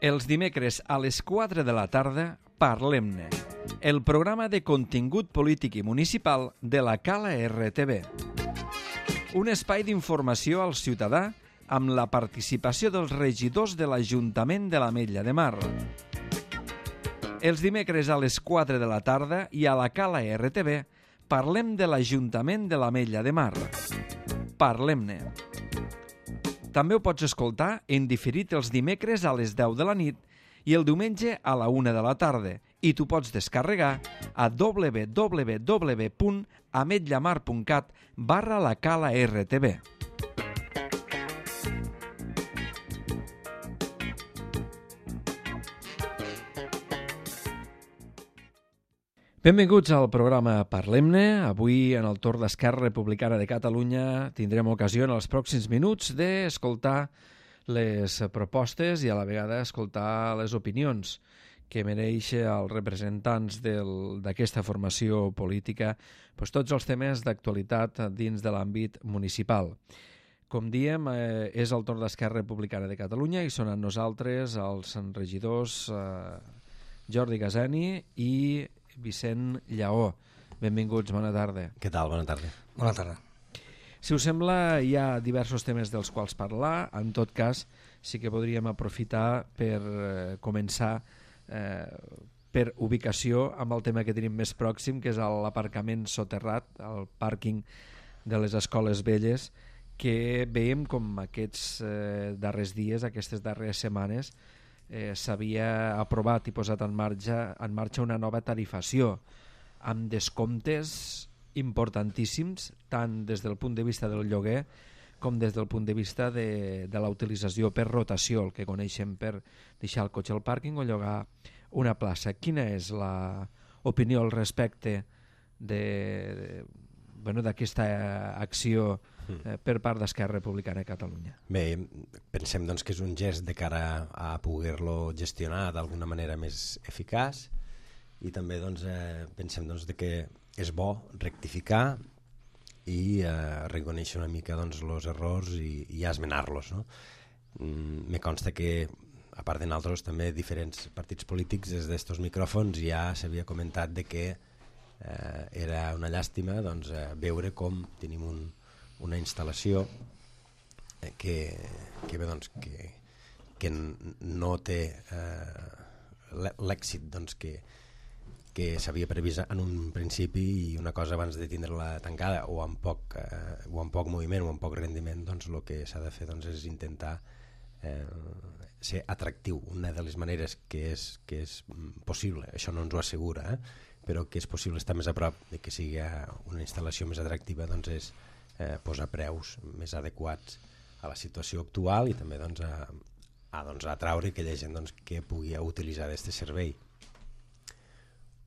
Els dimecres a les 4 de la tarda, Parlem-ne, el programa de contingut polític i municipal de la Cala RTV. Un espai d'informació al ciutadà amb la participació dels regidors de l'Ajuntament de l'Ametlla de Mar. Els dimecres a les 4 de la tarda i a la Cala RTV parlem de l'Ajuntament de l'Ametlla de Mar. Parlem-ne. També ho pots escoltar en diferit els dimecres a les 10 de la nit i el diumenge a la 1 de la tarda i t'ho pots descarregar a www.ametllamar.cat/la Cala RTV. Benvinguts al programa Parlem-ne. Avui, en el torn d'Esquerra Republicana de Catalunya, tindrem ocasió en els pròxims minuts d'escoltar les propostes i a la vegada escoltar les opinions que mereix als representants d'aquesta formació política tots els temes d'actualitat dins de l'àmbit municipal. Com diem, és el torn d'Esquerra Republicana de Catalunya i són amb nosaltres els regidors Jordi Gaseni i Vicent Lleó. Benvinguts, bona tarda. Què tal? Bona tarda. Bona tarda. Si us sembla, hi ha diversos temes dels quals parlar. En tot cas, sí que podríem aprofitar per començar per ubicació amb el tema que tenim més pròxim, que és l'aparcament soterrat, el pàrquing de les escoles velles, que veiem com aquests darrers dies, aquestes darreres setmanes, s'havia aprovat i posat en marxa una nova tarifació amb descomptes importantíssims tant des del punt de vista del lloguer com des del punt de vista de la utilització per rotació, el que coneixem per deixar el cotxe al pàrquing o llogar una plaça. Quina és l'opinió al respecte d'aquesta acció per part d'Esquerra Republicana de Catalunya? Bé, pensem doncs, que és un gest de cara a poder-lo gestionar d'alguna manera més eficaç i també pensem de que és bo rectificar i reconèixer una mica els errors i esmenar-los. No? Me consta que, a part de nosaltres, també diferents partits polítics des d'estos micròfons ja s'havia comentat de que era una llàstima veure com tenim una instal·lació que no té l'èxit que s'havia previst en un principi i una cosa abans de tindre-la tancada o amb poc moviment o amb poc rendiment, el que s'ha de fer és intentar ser atractiu. Una de les maneres que és possible, això no ens ho assegura, però que és possible estar més a prop de que sigui una instal·lació més atractiva, és posar preus més adequats a la situació actual i també a atraure aquella gent que pugui utilitzar aquest servei.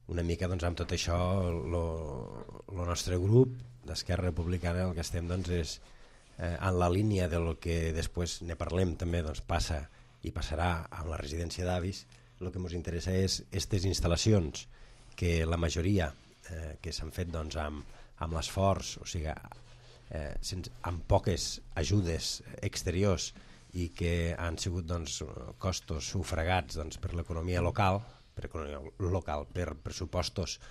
Una mica amb tot això el nostre grup d'Esquerra Republicana el que estem és en la línia del que després ne parlem també passa i passarà amb la residència d'avis. El que ens interessa és aquestes instal·lacions que la majoria que s'han fet amb l'esforç, o sigui, amb poques ajudes exteriors i que han sigut costos sufragats per l'economia local, per pressupostos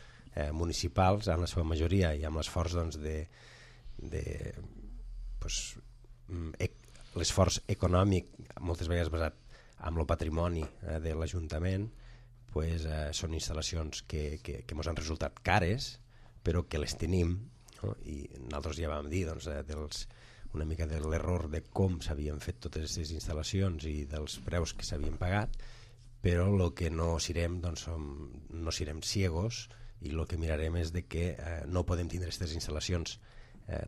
municipals en la seva majoria i amb l'esforç l'esforç econòmic moltes vegades basat en el patrimoni de l'Ajuntament, són instal·lacions que ens han resultat cares però que les tenim, no? I nosaltres ja vam dir una mica de l'error de com s'havien fet totes aquestes instal·lacions i dels preus que s'havien pagat, però el que no serem no serem ciegos i el que mirarem és de que no podem tindre aquestes instal·lacions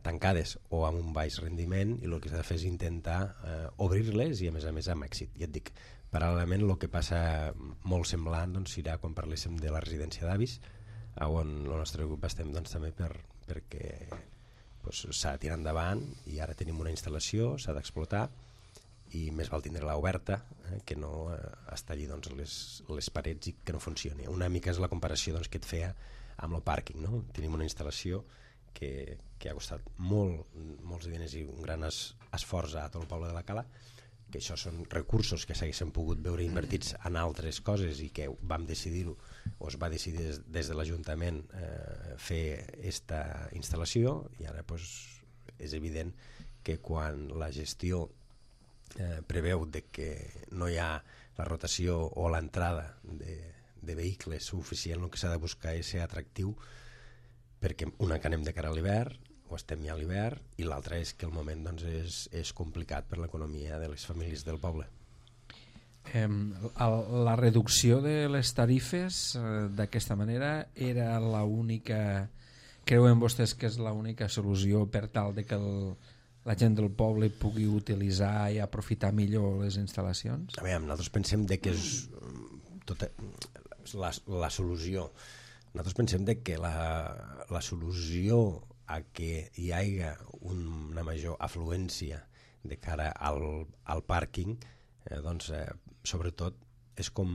tancades o amb un baix rendiment i el que s'ha de fer és intentar obrir-les i a més amb èxit. Ja et dic, paral·lelament el que passa molt semblant serà quan parléssim de la residència d'avis, on el nostre grup estem també perquè s'ha de tirar endavant i ara tenim una instal·lació, s'ha d'explotar i més val tindre-la oberta que no estar allí les parets i que no funcioni. Una mica és la comparació que et feia amb el pàrquing, no? Tenim una instal·lació que ha costat molts diners i un gran esforç a tot el poble de la Cala, que això són recursos que s'haguessin pogut veure invertits en altres coses i que vam decidir-ho, o es va decidir des de l'Ajuntament fer aquesta instal·lació, i ara és evident que quan la gestió preveu de que no hi ha la rotació o l'entrada de vehicles suficient, el que s'ha de buscar és ser atractiu, perquè una que anem de cara a l'hivern, o estem ja a l'hivern, i l'altra és que el moment doncs, és complicat per l'economia de les famílies del poble. La reducció de les tarifes d'aquesta manera era l'única, creuen vostès que és l'única solució per tal de que la gent del poble pugui utilitzar i aprofitar millor les instal·lacions? A veure, nosaltres pensem de que és tota la solució. Nosaltres pensem de que la solució a que hi hagi una major afluència de cara al pàrquing, sobretot és com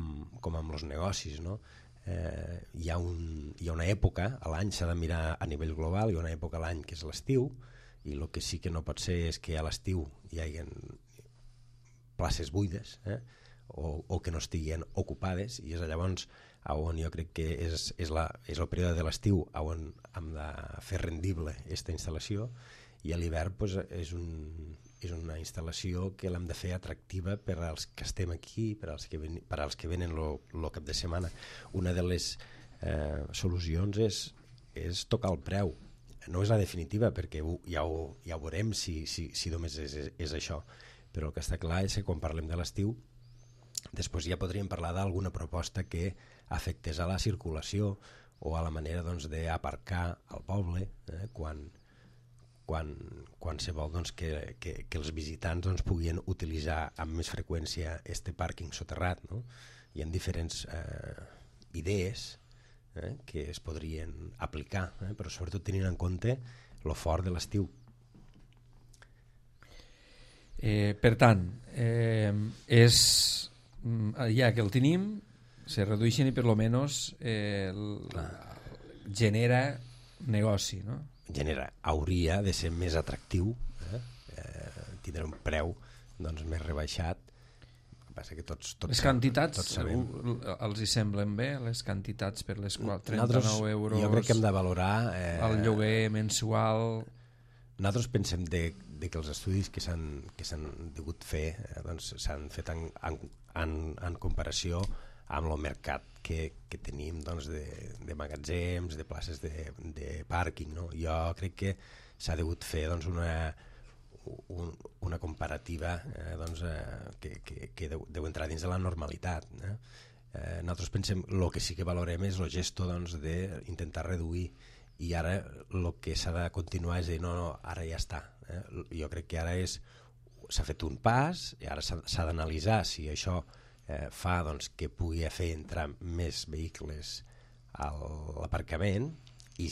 amb els negocis, no? Hi ha una època a l'any, s'ha de mirar a nivell global, hi ha una època a l'any que és l'estiu, i el que sí que no pot ser és que a l'estiu hi hagi places buides, o que no estiguin ocupades, i és llavors on jo crec que és el període de l'estiu on hem de fer rendible aquesta instal·lació, i a l'hivern és una instal·lació que l'hem de fer atractiva per als que estem aquí, per als que venen el cap de setmana. Una de les solucions és tocar el preu. No és la definitiva, perquè ja ho veurem si només és això, però el que està clar és que quan parlem de l'estiu després ja podríem parlar d'alguna proposta que afectés a la circulació o a la manera d'aparcar al poble quan se vol que els visitants puguin utilitzar amb més freqüència este pàrquing soterrat, no? Hi ha diferents idees que es podrien aplicar, però sobretot tenint en compte lo fort de l'estiu. Per tant, ja que el tenim, se redueixen i per lo menos genera negoci, no? Hauria de ser més atractiu, tindre un preu més rebaixat. Passa que tots les quantitats els hi semblen bé, les quantitats per les quals 39 euros jo crec que hem de valorar el lloguer mensual. Nosaltres pensem que els estudis que s'han degut fer s'han fet en comparació amb el mercat que tenim de magatzems, de places de pàrquing, no? Jo crec que s'ha degut fer una comparativa que deu entrar dins de la normalitat. Nosaltres pensem el que sí que valorem és el gesto d'intentar reduir, i ara el que s'ha de continuar és dir no, ara ja està. Jo crec que ara s'ha fet un pas i ara s'ha d'analitzar si això fa que pugui fer entrar més vehicles a l'aparcament, i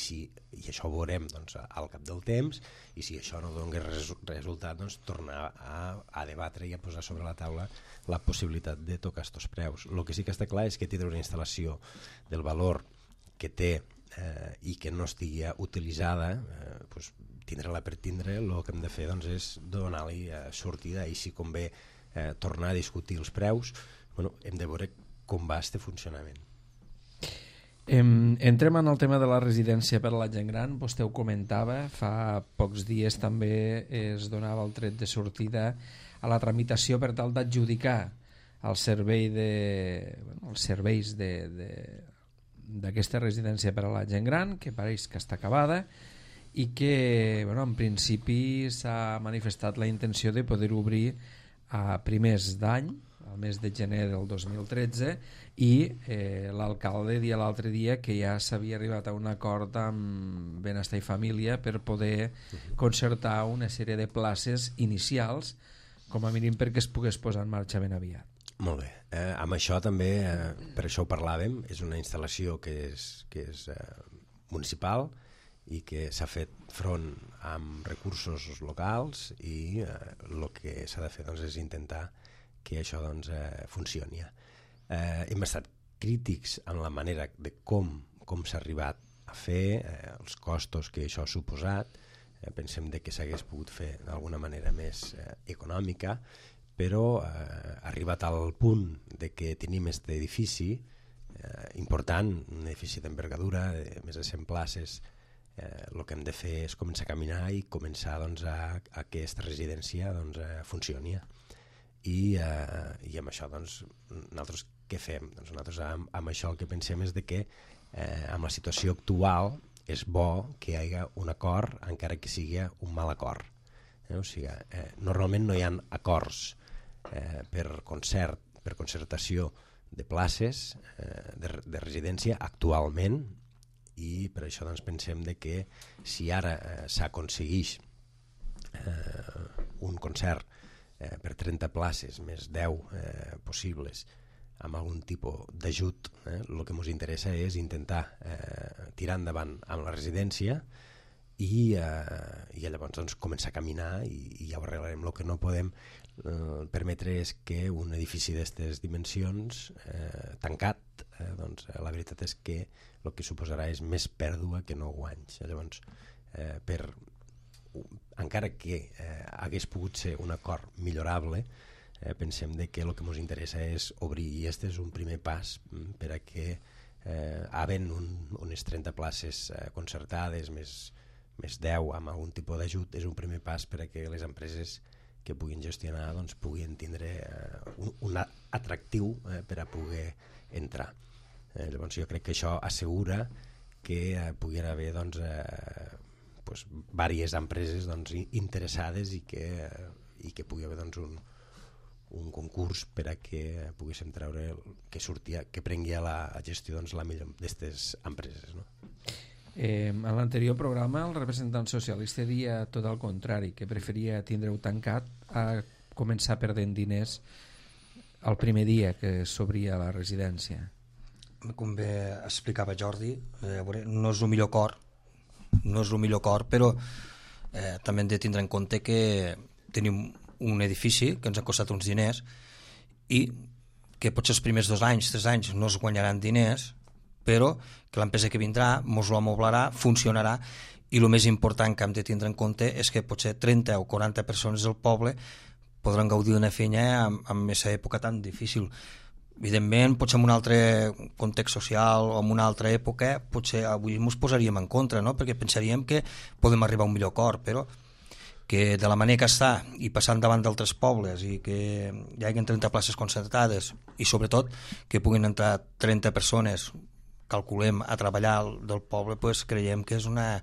això ho veurem al cap del temps, i si això no dona resultat, tornar a debatre i a posar sobre la taula la possibilitat de tocar aquests preus. El que sí que està clar és que tindre una instal·lació del valor que té i que no estigui utilitzada, tindre-la per tindre, el que hem de fer és donar-li sortida, i si convé tornar a discutir els preus, hem de veure com va este funcionament. Entrem en el tema de la residència per a la gent gran. Vostè ho comentava, fa pocs dies també es donava el tret de sortida a la tramitació per tal d'adjudicar els serveis d'aquesta residència per a la gent gran, que pareix que està acabada, i que en principi s'ha manifestat la intenció de poder obrir a primers d'any, al mes de gener del 2013, i l'alcalde dia l'altre dia que ja s'havia arribat a un acord amb Benestar i Família per poder concertar una sèrie de places inicials, com a mínim perquè es pogués posar en marxa ben aviat. Molt bé. Amb això també, per això ho parlàvem, és una instal·lació que és municipal i que s'ha fet front amb recursos locals, i el que s'ha de fer és intentar que això funcioni. Hem estat crítics en la manera de com s'ha arribat a fer, els costos que això ha suposat. Pensem que s'hagués pogut fer d'alguna manera més econòmica, però arribat al punt de que tenim aquest edifici important, un edifici d'envergadura de més de 100 places, el que hem de fer és començar a caminar i començar doncs, a que aquesta residència doncs, funcioni. I amb això doncs, nosaltres què fem? Doncs nosaltres amb això el que pensem és de que amb la situació actual és bo que hi hagi un acord encara que sigui un mal acord. O sigui, normalment no hi ha acords per concertació de places de residència actualment, i per això doncs, pensem de que si ara s'aconsegueix un concert per 30 places més 10 possibles amb algun tipus d'ajut, el que ens interessa és intentar tirar endavant amb la residència i llavors doncs, començar a caminar i ja ho arreglarem. El que no podem permetre és que un edifici d'aquestes dimensions tancat, doncs, la veritat és que el que suposarà és més pèrdua que no guanys. Llavors, encara que hagués pogut ser un acord millorable, pensem que el que ens interessa és obrir, i aquest és un primer pas per a que havent unes 30 places concertades més 10 amb algun tipus d'ajut, és un primer pas per a que les empreses que puguin gestionar doncs, puguin tindre un atractiu per a poder entrar. Llavors jo crec que això assegura que pugui haver doncs, diverses empreses doncs, interessades i que pugui haver doncs, un concurs per a que poguéssim treure que prengui a la gestió doncs, la millor d'aquestes empreses, no? En l'anterior programa el representant socialista deia tot el contrari, que preferia tindre-ho tancat a començar perdent diners el primer dia que s'obria la residència. Com bé explicava Jordi, no és el millor acord, però també hem de tindre en compte que tenim un edifici que ens ha costat uns diners i que potser els primers 2 anys, 3 anys no es guanyaran diners, però que l'empresa que vindrà mos ho amoblarà, funcionarà, i el més important que hem de tindre en compte és que potser 30 o 40 persones del poble podran gaudir d'una feina en aquesta època tan difícil. Evidentment, potser en un altre context social o en una altra època, potser avui ens posaríem en contra, no? Perquè pensaríem que podem arribar a un millor acord, però que de la manera que està i passant davant d'altres pobles i que hi hagi 30 places concertades i sobretot que puguin entrar 30 persones, calculem, a treballar del poble, pues creiem que és una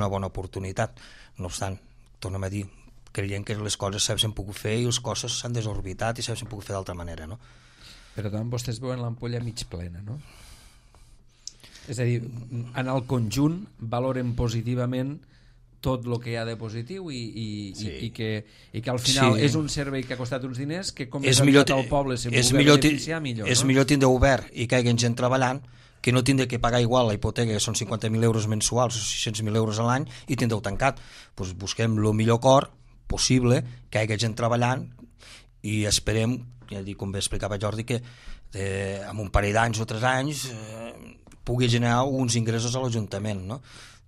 bona oportunitat. No obstant, tornem a dir, creiem que les coses s'havien pogut fer i les coses s'han desorbitat i s'havien pogut fer d'altra manera, no? Per tant, vostès veuen l'ampolla mig plena, no? És a dir, en el conjunt valoren positivament tot el que hi ha de positiu i que al final és un servei que ha costat uns diners que com és millor al poble se'n pugui beneficiar millor. És millor tindre obert i que hi hagi gent treballant que no tindre que pagar igual la hipoteca, que són 50.000 euros mensuals o 600.000 euros a l'any, i tindre-ho tancat. Pues busquem el millor acord possible, que hi hagi gent treballant, i esperem, ja dic, com bé explicava Jordi, que en un parell d'anys o 3 anys pugui generar uns ingressos a l'Ajuntament, no?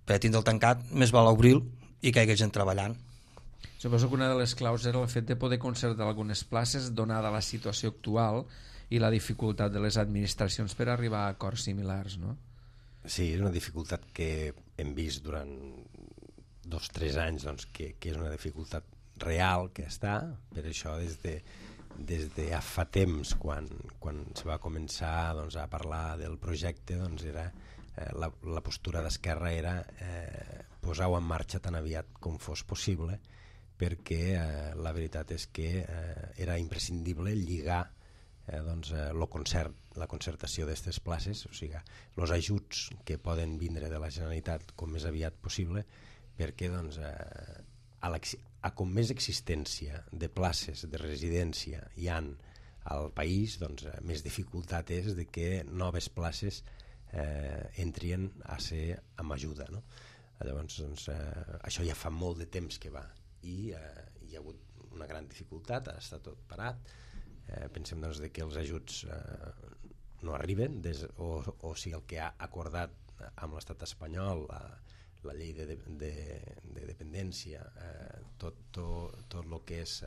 Per tindre el tancat més val obrir i que hi hagi gent treballant. Suposo que una de les claus era el fet de poder concertar algunes places donada la situació actual i la dificultat de les administracions per arribar a acords similars, no? Sí, és una dificultat que hem vist durant 2 o 3 anys, doncs, que és una dificultat real que està. Per això des de fa temps, quan se va començar doncs, a parlar del projecte, doncs era la postura d'Esquerra era posar-ho en marxa tan aviat com fos possible, perquè la veritat és que era imprescindible lligar la concertació d'aquestes places, o sigui, els ajuts que poden vindre de la Generalitat com més aviat possible, perquè doncs, a com més existència de places de residència hi han al país, doncs, més dificultat és de que noves places entrien a ser amb ajuda, no? Llavors, doncs, això ja fa molt de temps que va i hi ha hagut una gran dificultat, ha estat tot parat. Pensem doncs, que els ajuts no arriben o sigui, el que ha acordat amb l'estat espanyol, la llei de dependència, tot el que és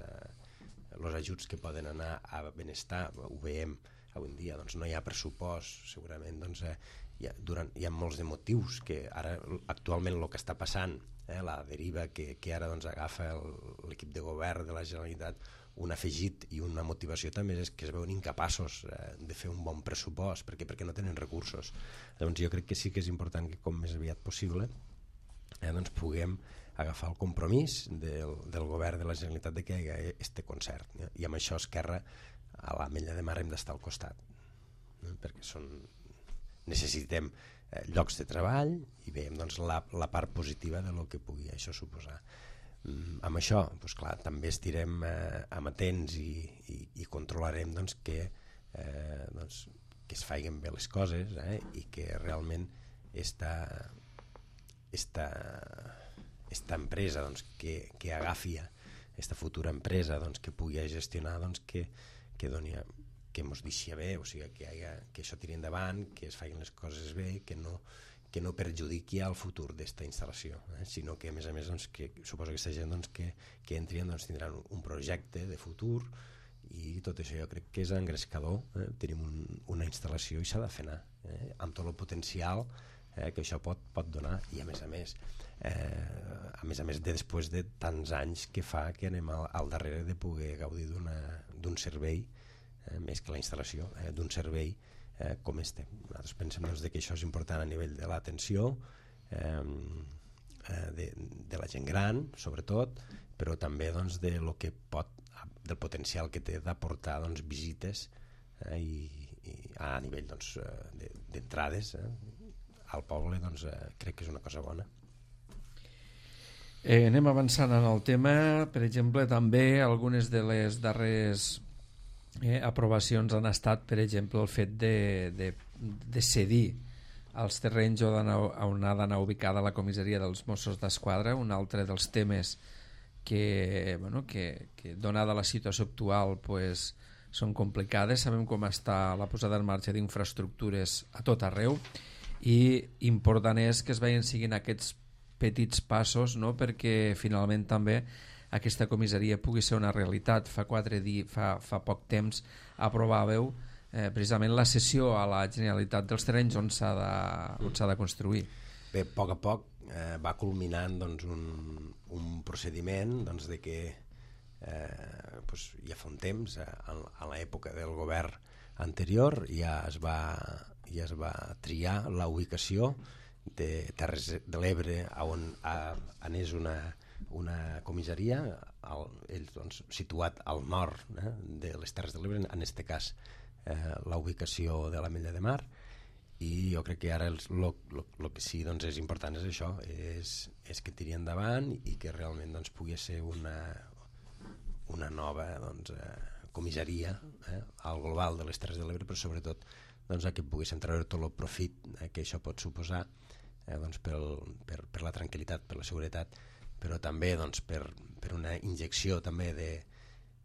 els ajuts que poden anar a benestar, ho veiem avui en dia, doncs no hi ha pressupost, segurament doncs, hi ha molts de motius que ara actualment el que està passant, la deriva que ara doncs, agafa l'equip de govern de la Generalitat, un afegit i una motivació també és que es veuen incapaços de fer un bon pressupost perquè no tenen recursos. Llavors jo crec que sí que és important que com més aviat possible doncs puguem agafar el compromís del govern de la Generalitat de que hi hagi este concert, i amb això Esquerra a l'Ametlla de Mar hem d'estar al costat, perquè necessitem llocs de treball i veiem doncs, la part positiva de lo que pugui això suposar. Amb això doncs, clar, també estirem amatents i controlarem doncs, que es facin bé les coses i que realment esta empresa doncs, que agafi aquesta futura empresa doncs, que pugui gestionar doncs, que doni que mos deixi bé, o sigui, que això tiri endavant, que es facin les coses bé, que no perjudiqui el futur d'esta instal·lació, sinó que a més doncs, que suposo que aquesta gent doncs, que entrin doncs, tindran un projecte de futur, i tot això jo crec que és engrescador. Tenim una instal·lació i s'ha de fer anar amb tot el potencial que això pot donar, i a més després de tants anys que fa que anem al darrere de poder gaudir d'un servei, més que la instal·lació, d'un servei com este. Nosaltres pensem doncs, que això és important a nivell de l'atenció de la gent gran, sobretot, però també doncs, del potencial que té d'aportar doncs, visites i a nivell doncs, d'entrades al poble, doncs, crec que és una cosa bona. Anem avançant en el tema. Per exemple, també algunes de les darreres aprovacions han estat, per exemple, el fet de cedir els terrenys on ha d'anar ubicada la comissaria dels Mossos d'Esquadra, un altre dels temes que donada la situació actual pues, són complicades. Sabem com està la posada en marxa d'infraestructures a tot arreu, i important és que es vagin seguint aquests petits passos, no? Perquè finalment també aquesta comissaria pugui ser una realitat. Fa poc temps aprovàveu precisament la cessió a la Generalitat dels terrenys on s'ha de construir. Bé, a poc va culminant doncs, un procediment doncs, de que ja fa un temps, a l'època del govern anterior, ja es va triar la ubicació de Terres de l'Ebre on anés una comissaria, doncs, situat al nord de les Terres de l'Ebre, en aquest cas la ubicació de l'Ametlla de Mar, i jo crec que ara el que sí doncs, és important és això, és que tiri endavant i que realment doncs, pugui ser una nova doncs, comissaria al global de les Terres de l'Ebre, però sobretot doncs, que poguéssim treure tot el profit que això pot suposar doncs, per la tranquil·litat, per la seguretat, però també doncs, per una injecció també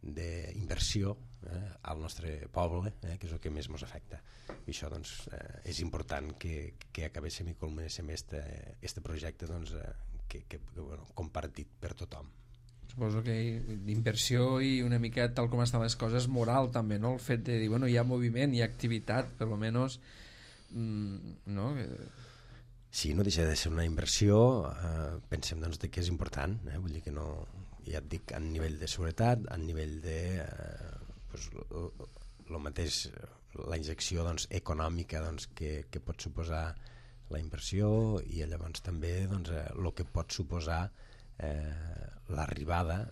d'inversió al nostre poble, que és el que més ens afecta. I això doncs, és important que acabéssim i culminéssim este projecte doncs, compartit per tothom. Suposo que d'inversió i una mica tal com estan les coses moral també, no? El fet de dir, hi ha moviment, hi ha activitat, per almenys no? Sí, no deixa de ser una inversió, pensem doncs, que és important, vull dir que no, ja et dic, a nivell de seguretat, a nivell de lo mateix, la injecció doncs, econòmica doncs, que pot suposar la inversió, i llavors també doncs, el que pot suposar l'arribada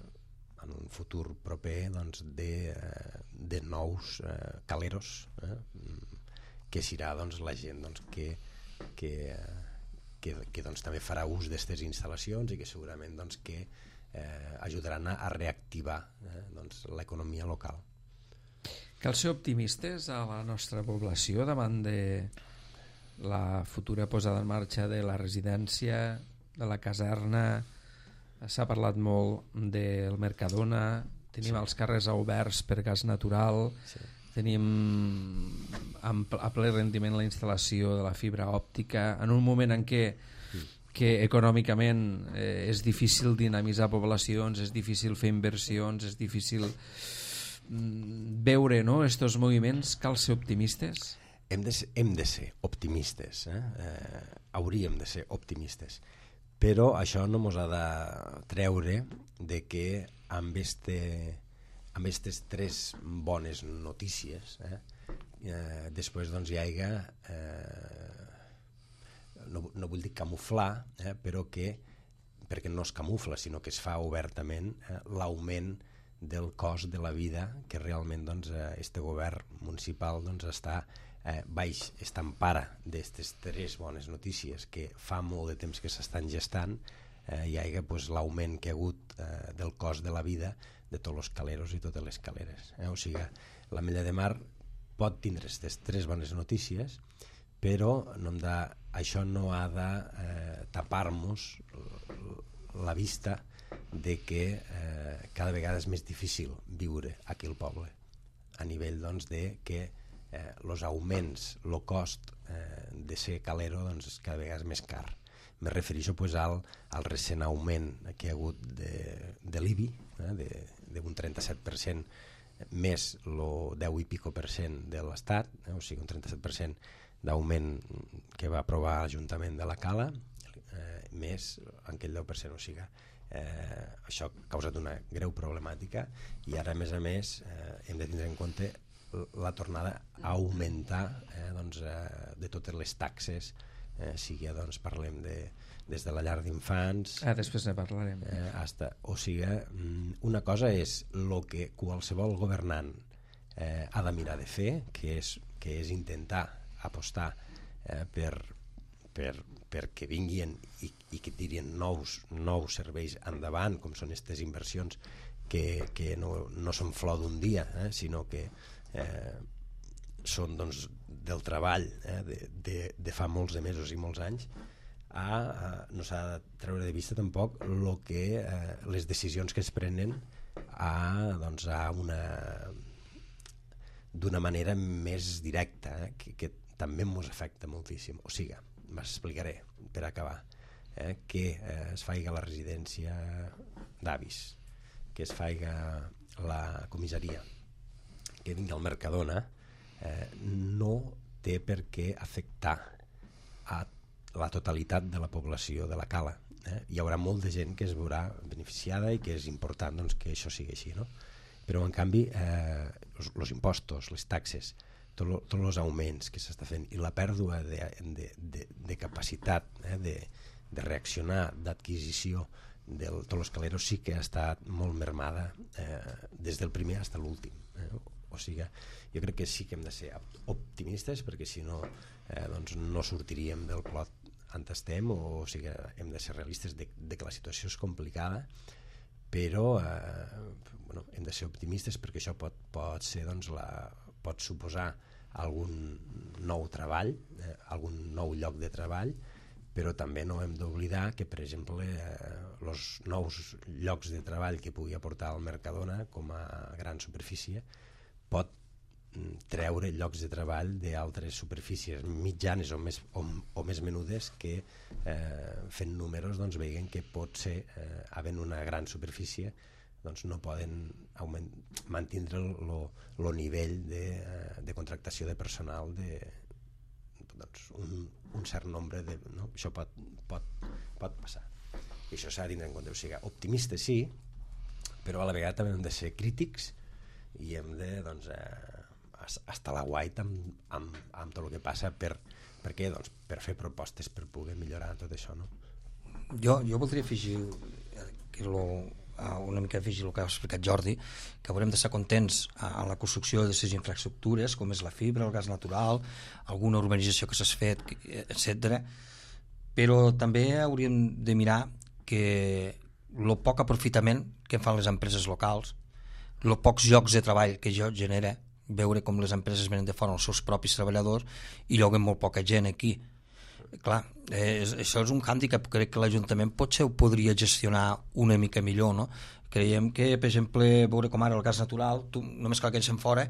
en un futur proper doncs, de nous caleros, que serà doncs, la gent doncs, que doncs, també farà ús d'aquestes instal·lacions i que segurament doncs, que ajudaran a reactivar doncs, l'economia local. Cal ser optimistes a la nostra població davant de la futura posada en marxa de la residència, de la caserna. S'ha parlat molt del Mercadona, tenim els carrers oberts per gas natural, tenim a ple rendiment la instal·lació de la fibra òptica, en un moment en què econòmicament és difícil dinamitzar poblacions, és difícil fer inversions, és difícil veure, no, estos moviments, cal ser optimistes? Hem de ser optimistes, hauríem de ser optimistes, però això no ens ha de treure de que amb aquestes 3 bones notícies després doncs hi hagi no vull dir camuflar, però perquè no es camufla sinó que es fa obertament l'augment del cost de la vida que realment doncs, este govern municipal doncs, està empara d'aquestes 3 bones notícies que fa molt de temps que s'estan gestant. Hi hagi pues, l'augment que ha hagut del cost de la vida de tots els caleros i totes les caleres. O sigui, l'Ametlla de Mar pot tindre aquestes 3 bones notícies, però això no ha de tapar-nos la vista de que cada vegada és més difícil viure aquí al poble, a nivell doncs, de que els augments, el cost de ser calero doncs, cada vegada és més car. Me refereixo pues, al recent augment que hi ha hagut de l'IBI, d'un 37% més el 10 i pico % de l'Estat, o sigui un 37% d'augment que va aprovar l'Ajuntament de la Cala, més aquell 10%, o sigui això ha causat una greu problemàtica i ara a més hem de tindre en compte la tornada a augmentar doncs, de totes les taxes, sigui doncs, parlem des de la llar d'infants després ne parlarem o sigui, una cosa és el que qualsevol governant ha de mirar de fer, que és intentar apostar perquè vinguin i que tirin nous serveis endavant, com són aquestes inversions que no són flor d'un dia, sinó que són doncs, del treball de fa molts de mesos i molts anys. No s'ha de treure de vista tampoc les decisions que es prenen d'una manera més directa, que també ens afecta moltíssim. O sigui, m'explicaré per acabar, que es faci la residència d'avis, que es faci la comissaria, que vingui al Mercadona, no té per què afectar a la totalitat de la població de la Cala. Hi haurà molta gent que es veurà beneficiada i que és important doncs, que això sigui així, no? Però en canvi els impostos, les taxes, tots els augments que s'està fent i la pèrdua de capacitat de reaccionar, d'adquisició de tots els caleros sí que ha estat molt mermada des del primer fins a l'últim. O sigui, jo crec que sí que hem de ser optimistes perquè si no doncs no sortiríem del clot on estem, o sigui, hem de ser realistes de que la situació és complicada, però hem de ser optimistes perquè això pot ser doncs, pot suposar algun nou treball, algun nou lloc de treball, però també no hem d'oblidar que, per exemple, els nous llocs de treball que pugui aportar el Mercadona com a gran superfície pot treure llocs de treball d'altres superfícies mitjanes o més menudes que fent números doncs, veien que pot ser havent una gran superfície doncs, no poden mantindre el nivell de contractació de personal doncs, un cert nombre no? Això pot passar i això s'ha de tindre en compte, o sigui, optimistes sí, però a la vegada també hem de ser crítics i hem de doncs, estar a la guait amb tot el que passa per què? Doncs per fer propostes per poder millorar tot això, no? Jo voldria afegir una mica afegir el que ha explicat Jordi, que haurem d'estar contents en la construcció de les infraestructures com és la fibra, el gas natural, alguna urbanització que s'ha fet, etc. Però també hauríem de mirar que el poc aprofitament que fan les empreses locals, els pocs llocs de treball que això genera, veure com les empreses venen de fora els seus propis treballadors i lloguen molt poca gent aquí. Clar, això és un hàndicap, crec que l'Ajuntament potser ho podria gestionar una mica millor, no? Creiem que, per exemple, veure com ara el gas natural, tu només cal que ens en fora,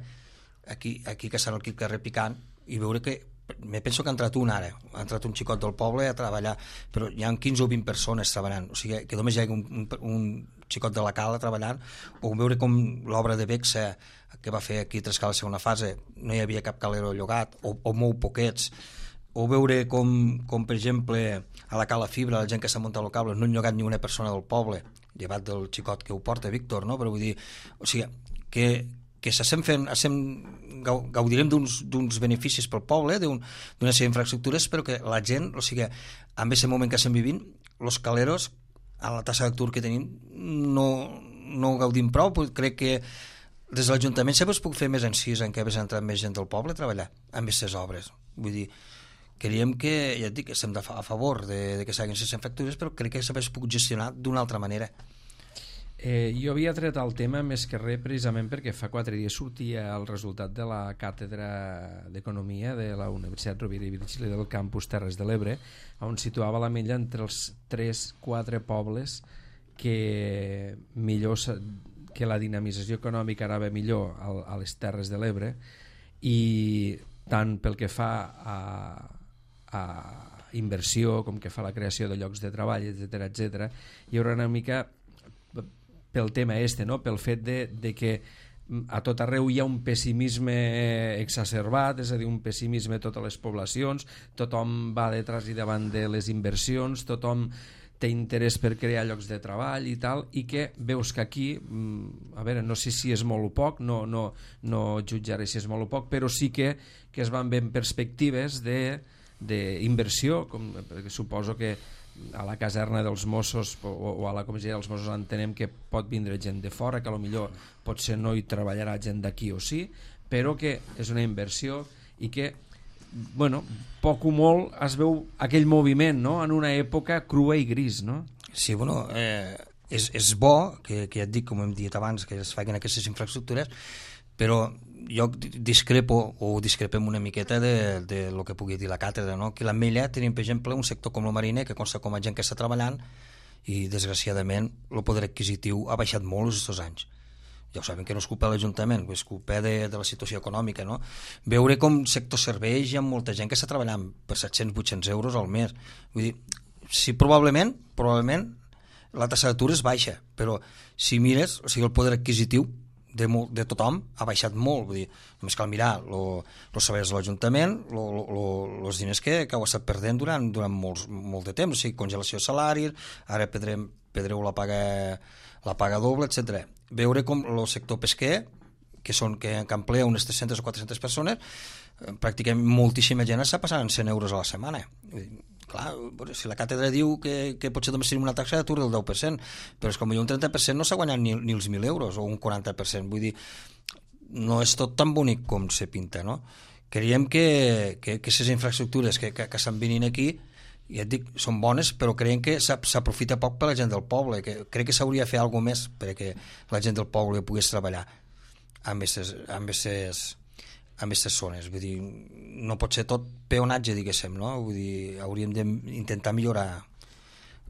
aquí que estan aquí al carrer picant, i veure que, me penso que ha entrat un ara, ha entrat un xicot del poble a treballar, però hi ha 15 o 20 persones treballant, o sigui que només hi ha un xicot de la Cala treballant, o veure com l'obra de Bexa que va fer aquí a Trescala segona fase no hi havia cap calero llogat, o molt poquets, o veure com per exemple a la Cala Fibra, la gent que s'ha muntat el cable no han llogat ni una persona del poble, llevat del xicot que ho porta, Víctor, no? Però vull dir, o sigui, que s'estem fent, gaudirem d'uns beneficis pel poble, d'una sèrie d'infraestructures, però que la gent, o sigui, en aquest moment que estem vivint, els caleros, a la tassa d'atur que tenim, no gaudim prou. Crec que des de l'Ajuntament sempre es puc fer més encís en què hagués entrat més gent del poble a treballar amb aquestes obres. Vull dir, creiem que, ja et dic, estem a favor de que s'hagin les infraestructures, però crec que sempre es puc gestionar d'una altra manera. Jo havia tret el tema més que res precisament perquè fa 4 dies sortia el resultat de la càtedra d'Economia de la Universitat Rovira i Virgili del campus Terres de l'Ebre, on situava la Mella entre els 3-4 pobles que la dinamització econòmica anava millor a les Terres de l'Ebre, i tant pel que fa a inversió com que fa la creació de llocs de treball, etc. Hi haurà una mica pel tema no? Pel fet de que a tot arreu hi ha un pessimisme exacerbat, és a dir, un pessimisme a totes les poblacions, tothom va detrás i davant de les inversions, tothom té interès per crear llocs de treball i tal, i que veus que aquí, a veure, no sé si és molt o poc, no jutjaré si és molt o poc, però sí que es van veient perspectives d'inversió, perquè suposo que a la caserna dels Mossos o a la comissaria dels Mossos entenem que pot vindre gent de fora, que potser potser no hi treballarà gent d'aquí o sí, però que és una inversió i que, bueno, poc o molt es veu aquell moviment, no?, en una època crua i gris, no? Sí, bueno, és bo que ja et dic, com hem dit abans, que es facin aquestes infraestructures, però jo discrepem una miqueta de lo que pugui dir la càtedra, no? Que l'Ametlla tenim, per exemple, un sector com el mariner que consta com a gent que està treballant i desgraciadament el poder adquisitiu ha baixat molt aquests anys. Ja ho sabem que no és culpa de l'Ajuntament, és culpa de la situació econòmica, no? Veure com sector serveis hi ha molta gent que està treballant per 700-800 euros al mes. Vull dir, sí, probablement la tassa d'atur és baixa, però si mires, o sigui, el poder adquisitiu de tothom ha baixat molt. Vull dir, només cal mirar els salaris de l'Ajuntament, els diners que heu estat perdent durant molt de temps, o sigui, congelació de salaris, ara perdreu la paga doble, etc. Veure com el sector pesquer, que emplea unes 300 o 400 persones, pràcticament moltíssima gent està passant 100 euros a la setmana. Clar, si la càtedra diu que potser només tenim una taxa d'atur del 10%, però és com un 30% no s'ha guanyat ni els 1.000 euros o un 40%. Vull dir, no és tot tan bonic com se pinta, no? Creiem que aquestes infraestructures que estan venint aquí, ja et dic, són bones, però creiem que s'aprofita poc per la gent del poble, que crec que s'hauria de fer alguna més perquè la gent del poble pogués treballar amb aquestes zones. Vull dir, no pot ser tot peonatge, diguéssim, no? Vull dir, hauríem d'intentar millorar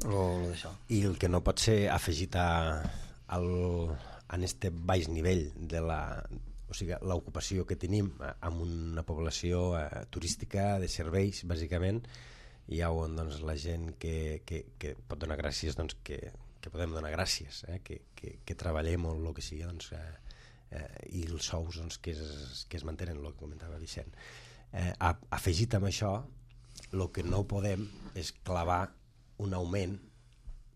d'això. I el que no pot ser afegit en este baix nivell de l'ocupació que tenim amb una població turística de serveis, bàsicament, hi ha on la gent que pot donar gràcies, que podem donar gràcies, que treballem o el que sigui, i els sous que es mantenen, el que comentava Vicent. Afegit amb això, el que no podem és clavar un augment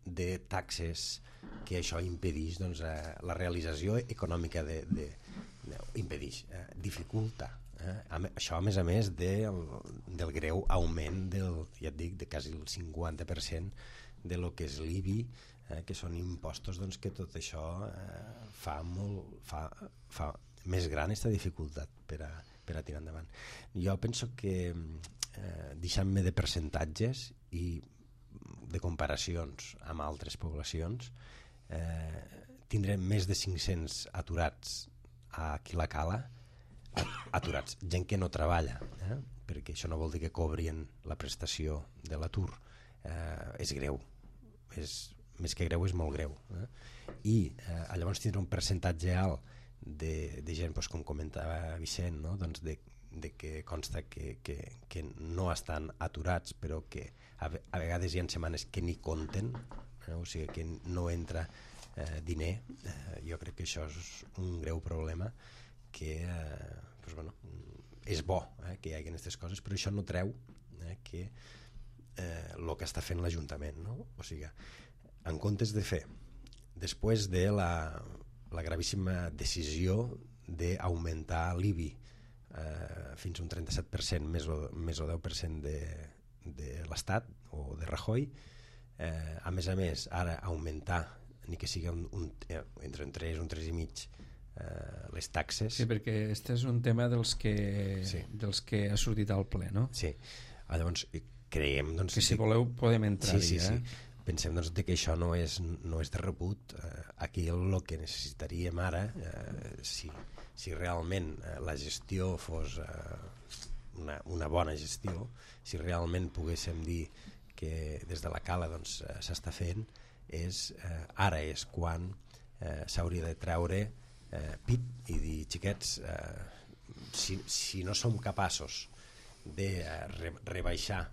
de taxes que això impedeix la realització econòmica dificulta. Això a més del greu augment ja et dic, de quasi el 50% de lo que és l'IBI, que són impostos, que tot això fa més gran aquesta dificultat per a tirar endavant. Jo penso que deixant-me de percentatges i de comparacions amb altres poblacions, tindrem més de 500 aturats aquí a la Cala, aturats, gent que no treballa, perquè això no vol dir que cobrien la prestació de l'atur. És greu, més que greu, és molt greu. I llavors tindrà un percentatge alt de gent, com comentava Vicent, de que consta que no estan aturats, però que a vegades hi ha setmanes que ni compten, o sigui que no entra diner. Jo crec que això és un greu problema que és bo que hi hagi aquestes coses, però això no treu que el que està fent l'Ajuntament, no? O sigui, en comptes de fer, després de la gravíssima decisió d'augmentar l'IBI fins a un 37% més o 10% de l'Estat o de Rajoy, a més, ara augmentar ni que sigui entre un 3 un 3,5 les taxes. Sí, perquè aquest és un tema dels que ha sortit al ple, no? Sí, llavors creiem que si voleu podem entrar-hi. Sí. Pensem que això no és de rebut. Aquí el que necessitaríem ara, si realment la gestió fos una bona gestió, si realment poguéssim dir que des de la Cala s'està fent, ara és quan s'hauria de treure pit i dir, xiquets, si no som capaços de rebaixar,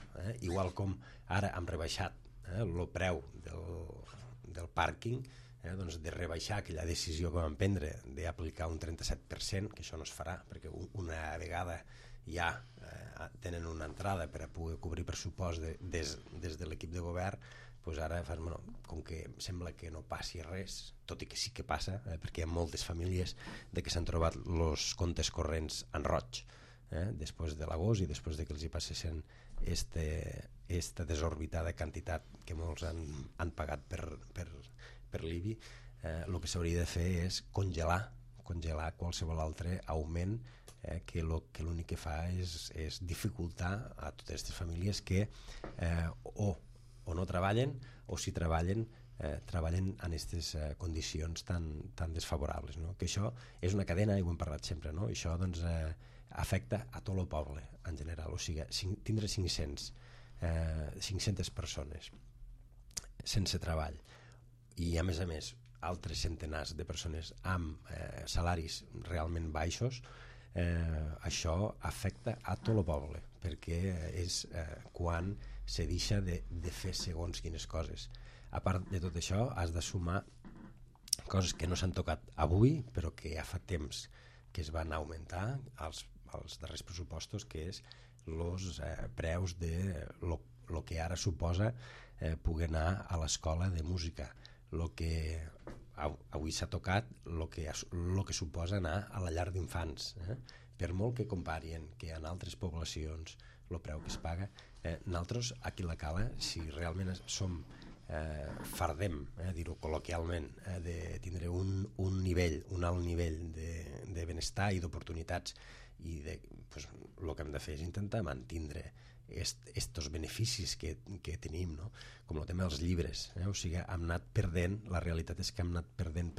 igual com ara hem rebaixat el preu del pàrquing, de rebaixar aquella decisió que vam prendre d'aplicar un 37%, que això no es farà perquè una vegada ja tenen una entrada per a poder cobrir pressupost des de l'equip de govern, doncs ara com que sembla que no passi res, tot i que sí que passa, perquè hi ha moltes famílies que s'han trobat els comptes corrents en roig després de l'agost i després de que els hi passessin esta desorbitada quantitat que molts han pagat per l'IBI. El que s'hauria de fer és congelar qualsevol altre augment que l'únic que fa és dificultar a totes aquestes famílies que o no treballen o si treballen en aquestes condicions tan desfavorables, no? Que això és una cadena i ho hem parlat sempre, no? Això afecta a tot el poble en general, o sigui, tindre 500 persones sense treball i a més altres centenars de persones amb salaris realment baixos, això afecta a tot el poble, perquè és quan se deixa de fer segons quines coses. A part de tot això, has de sumar coses que no s'han tocat avui, però que ja fa temps que es van augmentar als darrers pressupostos, que és els preus de lo que ara suposa poder anar a l'escola de música, lo que avui s'ha tocat, lo que suposa anar a la llar d'infants, per molt que comparien que en altres poblacions el preu que es paga, nosaltres aquí a la Cala, si realment fardem, dir-ho col·loquialment, de tindre un alt nivell de benestar i d'oportunitats, i el que hem de fer és intentar mantindre estos beneficis que tenim, no? Com el tema dels llibres, o sigui, hem anat perdent, la realitat és que hem anat perdent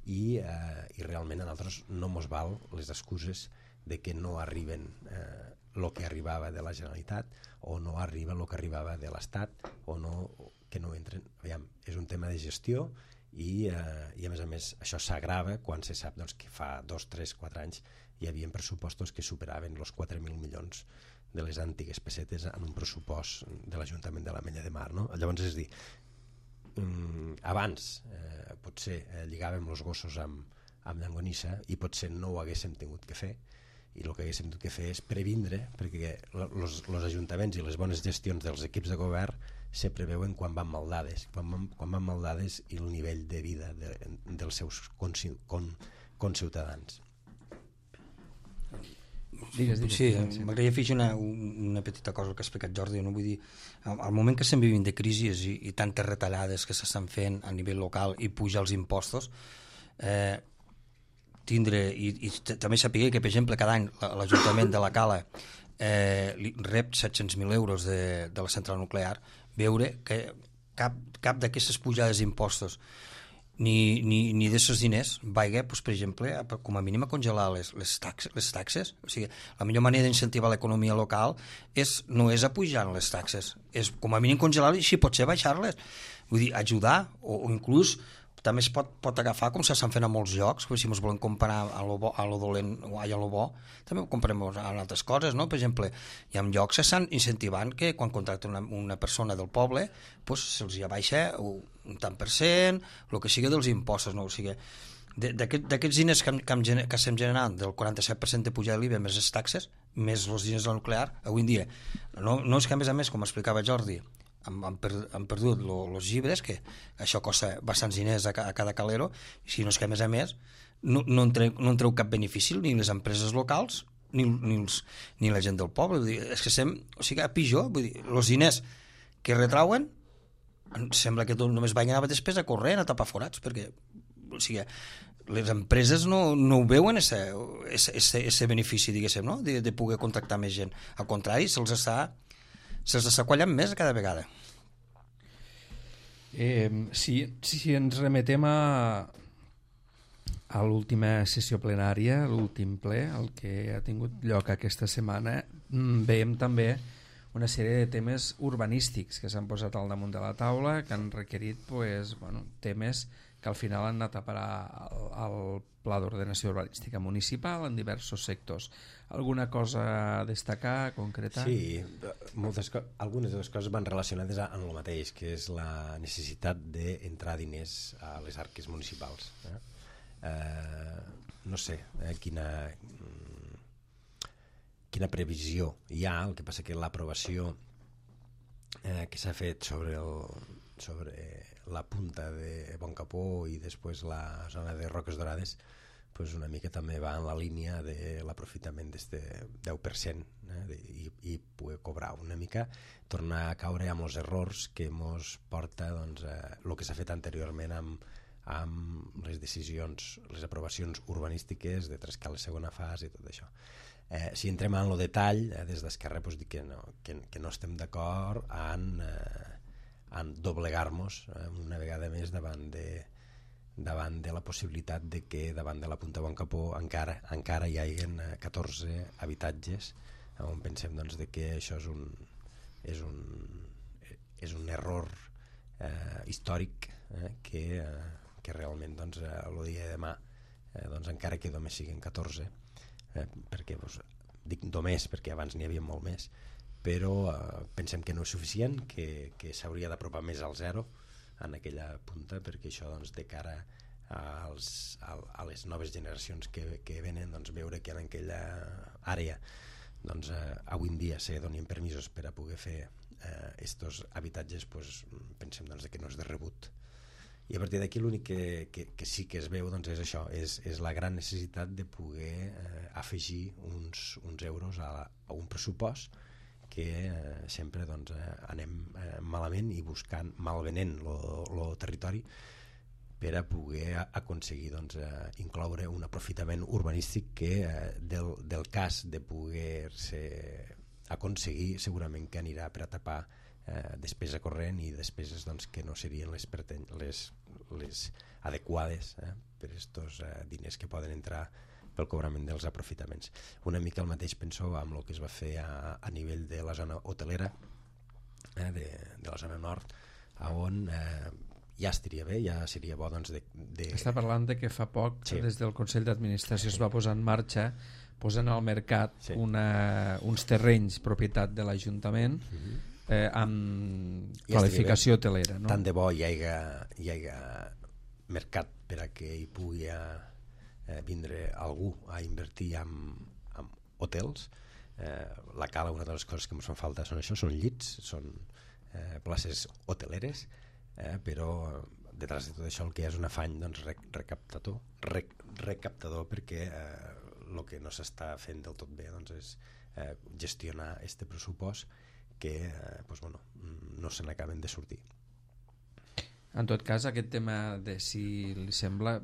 i realment a nosaltres no mos val les excuses de que no arriben el que arribava de la Generalitat o no arriba el que arribava de l'Estat o que no entren. Aviam, és un tema de gestió i a més això s'agrava quan se sap que fa 2, 3, 4 anys hi havia pressupostos que superaven els 4.000 milions de les antigues pessetes en un pressupost de l'Ajuntament de l'Ametlla de Mar, no? Llavors, és dir, abans potser lligàvem els gossos amb llangonissa i potser no ho haguéssim tingut que fer, i el que haguéssim tingut que fer és previndre, perquè els ajuntaments i les bones gestions dels equips de govern se preveuen quan van maldades, i el nivell de vida dels seus conciutadans. Digues. Sí, m'agradaria afegir una petita cosa que ha explicat Jordi, no? Vull dir, al moment que estem vivint de crisis i tantes retallades que s'estan fent a nivell local i pujar els impostos, tindre i també saber que, per exemple, cada any l'Ajuntament de la Cala rep 700.000 euros de la central nuclear, veure que cap d'aquestes pujades d'impostos ni d'aquests diners vagi, per exemple, com a mínim a congelar les taxes. O sigui, la millor manera d'incentivar l'economia local no és apujar les taxes, és com a mínim congelar-les i si pot ser baixar-les. Vull dir, ajudar o inclús també es pot agafar com s'estan fent a molts llocs, si ens volem comparar a lo dolent o a lo bo, també ho comparem amb altres coses, no? Per exemple, hi ha llocs que estan incentivant que quan contracten una persona del poble pues, se'ls abaixa un tant per cent, el que sigui dels impostos, no? O sigui, d'aquests diners que estem generant, del 47% de pujada de l'IVA més les taxes, més els diners de la nuclear, avui en dia, no és que a més, com explicava Jordi, han perdut els llibres, que això costa bastants diners a cada calero, si no és que a més no en treu cap benefici ni les empreses locals ni la gent del poble. Vull dir, és que a pitjor, vull dir, els diners que retrauen sembla que només vagin a despesa corrent, a tapar forats, perquè o sigui, les empreses no ho veuen ese benefici, diguéssim, no? de poder contractar més gent. Al contrari, se'ls està quallant més cada vegada. Si ens remetem a l'última sessió plenària, l'últim ple, el que ha tingut lloc aquesta setmana, veiem també una sèrie de temes urbanístics que s'han posat al damunt de la taula, que han requerit temes que al final han anat a parar al Pla d'Ordenació Urbanística Municipal en diversos sectors. Alguna cosa a destacar, concretar? Sí, algunes de les coses van relacionades amb el mateix, que és la necessitat d'entrar diners a les arques municipals. No sé quina previsió hi ha, el que passa que l'aprovació que s'ha fet sobre la punta de Boncapó i després la zona de Roques Dorades pues una mica també va en la línia de l'aprofitament d'aquest 10% i poder cobrar una mica, tornar a caure amb els errors que ens porta el que s'ha fet anteriorment amb les decisions, les aprovacions urbanístiques de Trescal segona fase i tot això. Si entrem en el detall, des d'Esquerra pues, dic que no estem d'acord en doblegar-nos una vegada més davant de la possibilitat de que davant de la Punta Boncapó encara hi hagi 14 habitatges on pensem de que això és un error històric que realment el dia de demà encara que només siguin 14 perquè dic només perquè abans n'hi havia molt més, però pensem que no és suficient, que s'hauria d'apropar més al zero en aquella punta, perquè això de cara a les noves generacions que venen veure que en aquella àrea avui en dia se donin permisos per a poder fer estos habitatges, pensem que no és de rebut. I a partir d'aquí l'únic que sí que es veu és això, és la gran necessitat de poder afegir uns euros a un pressupost que sempre anem malament i buscant, malvenent el territori per a poder aconseguir incloure un aprofitament urbanístic que del cas de poder-se aconseguir segurament que anirà per a tapar despesa corrent i despeses que no serien les adequades per aquests diners que poden entrar pel cobrament dels aprofitaments. Una mica el mateix penso amb el que es va fer a nivell de la zona hotelera de la zona nord, on ja estaria bé, ja seria bo Està parlant de que fa poc des del Consell d'Administració es va posar en marxa posant al mercat uns terrenys propietat de l'Ajuntament amb qualificació hotelera, no? Tant de bo hi hagi mercat per a que hi pugui vindre algú a invertir en hotels. La Cala, una de les coses que ens fan falta són això, són llits, són places hoteleres, però detrás de tot això el que és un afany recaptador perquè el que no s'està fent del tot bé és gestionar este pressupost que no se n'acaben de sortir. En tot cas, aquest tema de si li sembla,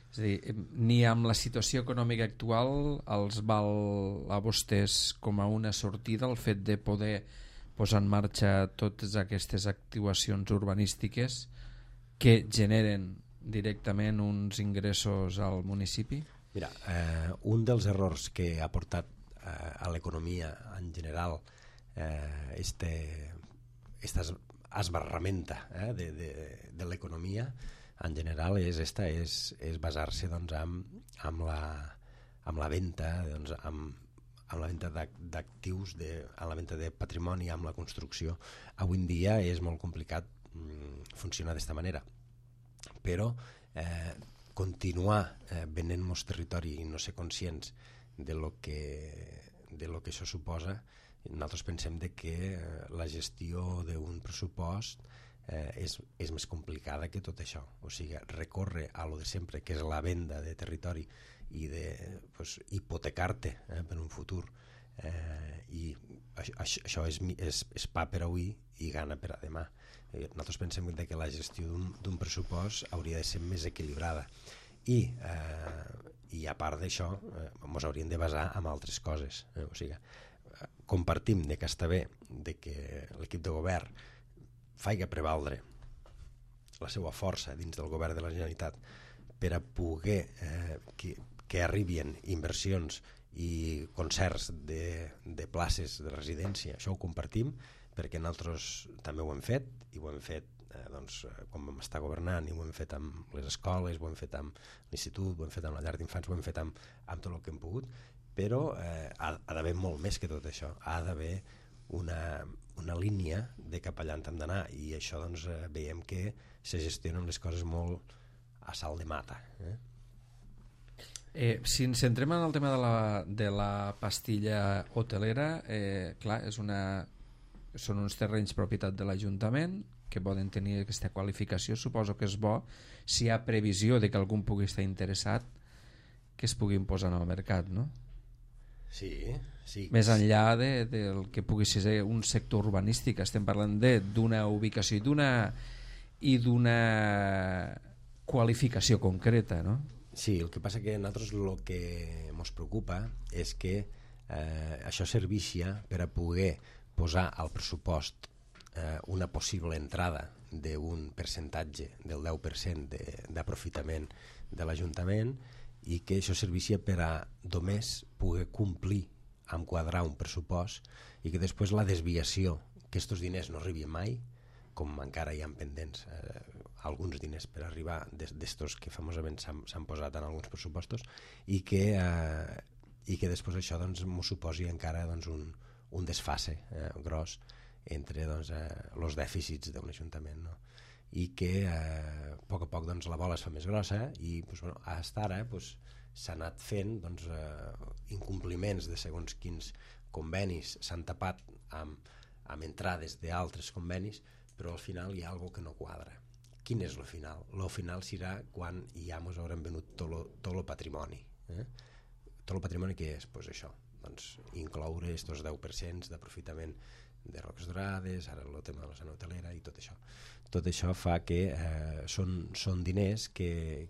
és a dir, ni amb la situació econòmica actual els val a vostès com a una sortida el fet de poder posar en marxa totes aquestes actuacions urbanístiques que generen directament uns ingressos al municipi? Mira, un dels errors que ha portat a l'economia en general esta esbarramenta de l'economia en general és basar-se doncs, amb la venda, doncs, amb la venda d'actius, amb la venda de patrimoni, amb la construcció. Avui en dia és molt complicat funcionar d'aquesta manera, però continuar venent el territori i no ser conscients de lo que això suposa, nosaltres pensem que la gestió d'un pressupost és més complicada que tot això. O sigui, recórrer a lo de sempre, que és la venda de territori i hipotecar-te per un futur, i això és pa per avui i gana per a demà. Nosaltres pensem que la gestió d'un pressupost hauria de ser més equilibrada i a part d'això ens hauríem de basar en altres coses. O sigui, compartim que està bé que l'equip de govern faci prevaldre la seva força dins del govern de la Generalitat per a poder que arribin inversions i concerts de places de residència. Això ho compartim perquè nosaltres també ho hem fet, i ho hem fet quan vam estar governant, i ho hem fet amb les escoles, ho hem fet amb l'institut, ho hem fet amb la llar d'infants, ho hem fet amb tot el que hem pogut, però ha d'haver molt més que tot això. Ha d'haver una línia de cap allà on hem d'anar, i això veiem que se gestionen les coses molt a salt de mata. Si ens centrem en el tema de la pastilla hotelera, clar, són uns terrenys propietat de l'Ajuntament que poden tenir aquesta qualificació. Suposo que és bo, si hi ha previsió de que algú pugui estar interessat, que es puguin posar en el mercat, no? Sí. Més enllà del que pugui ser un sector urbanístic, estem parlant d'una ubicació i d'una qualificació concreta, no? Sí, el que passa que a nosaltres el que ens preocupa és que això serveixi per a poder posar al pressupost una possible entrada d'un percentatge del 10% d'aprofitament de l'Ajuntament, i que això serveixi per a només poder complir amb quadrar un pressupost, i que després la desviació, que aquests diners no arribin mai, com encara hi ha pendents alguns diners per arribar d'estos que famosament s'han posat en alguns pressupostos, i que després això ens suposi encara un desfase gros entre els dèficits d'un ajuntament, no? I que a poc a poc la bola es fa més grossa, i fins ara s'ha anat fent incompliments de segons quins convenis, s'han tapat amb entrades d'altres convenis, però al final hi ha alguna que no quadra. Quin és el final? El final serà quan ja ens haurem venut tot el patrimoni. Tot el patrimoni que és? Això, incloure aquests 10% d'aprofitament de Roques Dorades, ara el tema de la zona hotelera i tot això. Tot això fa que són diners que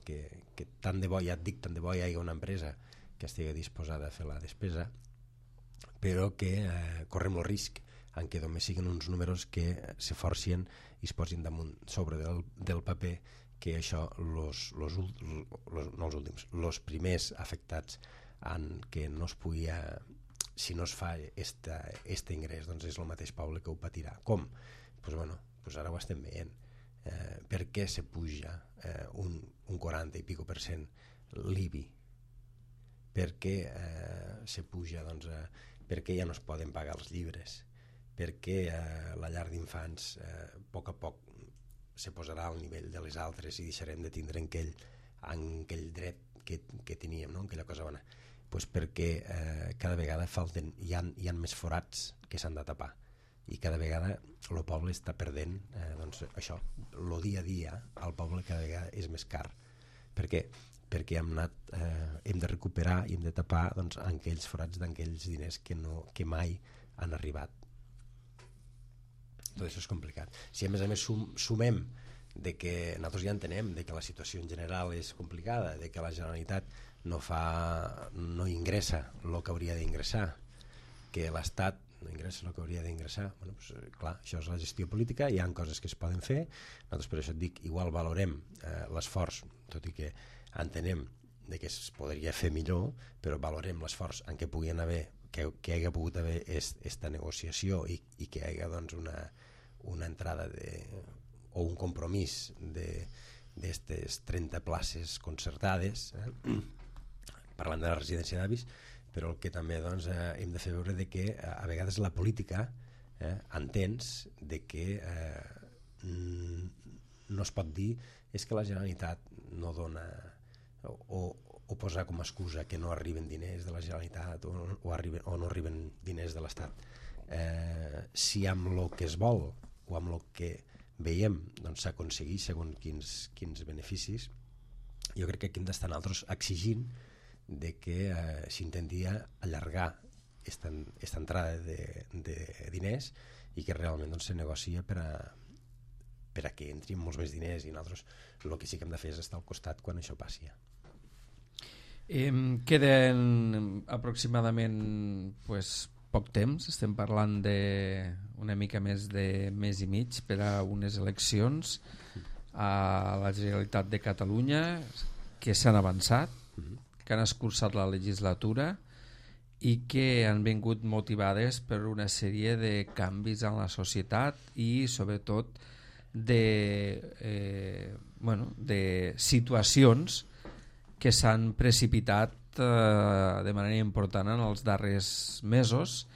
tant de bo, ja et dic, tant de bo hi hagi una empresa que estigui disposada a fer la despesa, però que correm el risc en què només siguin uns números que se forcien i es posin damunt sobre del paper, que això els primers afectats en què no es pugui, si no es fa este ingrés, és el mateix poble que ho patirà. Com? Ara ho estem veient. Per què se puja un 40 i pico % l'IBI? Per què se puja? Per què ja no es poden pagar els llibres? Per què la llar d'infants a poc se posarà al nivell de les altres i deixarem de tindre aquell dret que teníem, no? Aquella cosa bona? Perquè cada vegada hi ha més forats que s'han de tapar, i cada vegada el poble està perdent això, el dia a dia al poble cada vegada és més car. Per què? Perquè hem de recuperar i hem de tapar aquells forats d'aquells diners que mai han arribat. Tot això és complicat. Si a més sumem que nosaltres ja entenem que la situació en general és complicada, que la Generalitat no ingressa el que hauria d'ingressar, que l'Estat no ingressa el que hauria d'ingressar, clar, això és la gestió política, hi ha coses que es poden fer. Nosaltres, per això et dic, igual valorem l'esforç, tot i que entenem que es podria fer millor, però valorem l'esforç en què puguin haver, que hi hagi pogut haver aquesta negociació, i que hi hagi una entrada o un compromís d'estes 30 places concertades, parlant de la residència d'avis, però el que també doncs, hem de fer veure de que a vegades la política entens de que no es pot dir és que la Generalitat no dona o posar com a excusa que no arriben diners de la Generalitat o no arriben diners de l'Estat. Si amb el que es vol o amb el que veiem doncs, s'aconsegueix segons quins beneficis, jo crec que aquí hem d'estar nosaltres exigint de que s'intenti allargar esta entrada de diners i que realment doncs, se negocia per a que entrin molts més diners, i nosaltres el que sí que hem de fer és estar al costat quan això passi. Queden aproximadament poc temps, estem parlant d'una mica més de mes i mig per a unes eleccions a la Generalitat de Catalunya que s'han avançat, que han escurçat la legislatura i que han vingut motivades per una sèrie de canvis en la societat i sobretot de situacions que s'han precipitat de manera important en els darrers mesos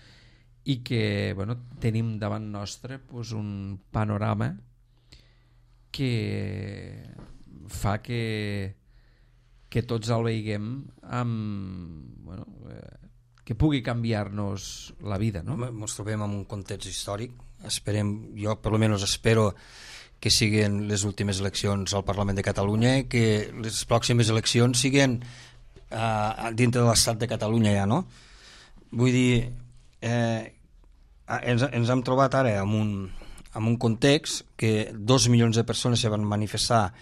i que tenim davant nostre un panorama que fa que tots el veiguem que pugui canviar-nos la vida, no? Ens trobem en un context històric. Jo per almenys espero que siguin les últimes eleccions al Parlament de Catalunya i que les pròximes eleccions siguin dintre de l'estat de Catalunya ja, no? Vull dir, ens hem trobat ara en un context que 2 milions de persones se van manifestar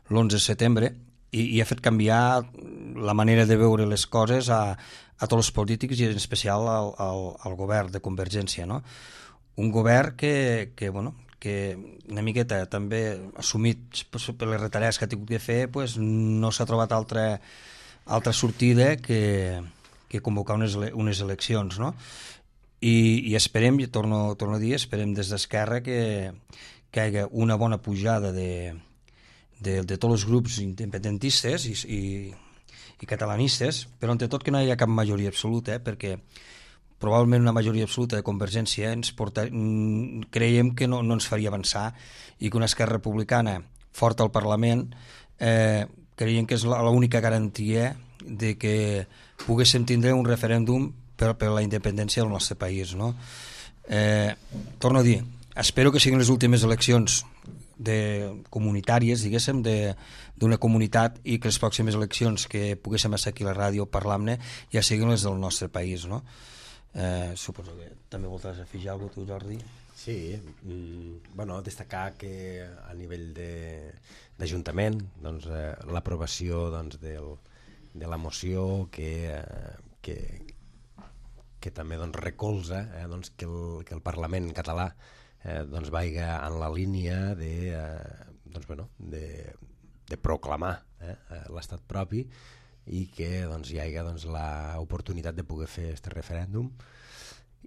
l'11 de setembre i ha fet canviar la manera de veure les coses a tots els polítics i en especial al govern de Convergència, no? Un govern que una miqueta també assumit per les retallades que ha tingut que fer, no s'ha trobat altra sortida que convocar unes eleccions, no? I esperem, i torno a dir, esperem des d'Esquerra que hi hagi una bona pujada de tots els grups independentistes i catalanistes, però entre tot que no hi ha cap majoria absoluta, perquè probablement una majoria absoluta de Convergència creiem que no ens faria avançar, i que una Esquerra Republicana forta al Parlament creiem que és l'única garantia de que poguéssim tindre un referèndum per la independència del nostre país, no? Torno a dir, espero que siguin les últimes eleccions comunitàries, diguéssim, d'una comunitat, i que les pròximes eleccions que poguéssim estar aquí a la ràdio parlant-ne ja siguin les del nostre país, no? Suposo que també voldràs afegir alguna cosa tu, Jordi? Sí, destacar que a nivell d'Ajuntament doncs, l'aprovació doncs, de la moció que també doncs, recolza doncs, que el Parlament català doncs, vagi en la línia de proclamar l'estat propi i que doncs, hi hagi doncs, l'oportunitat de poder fer aquest referèndum.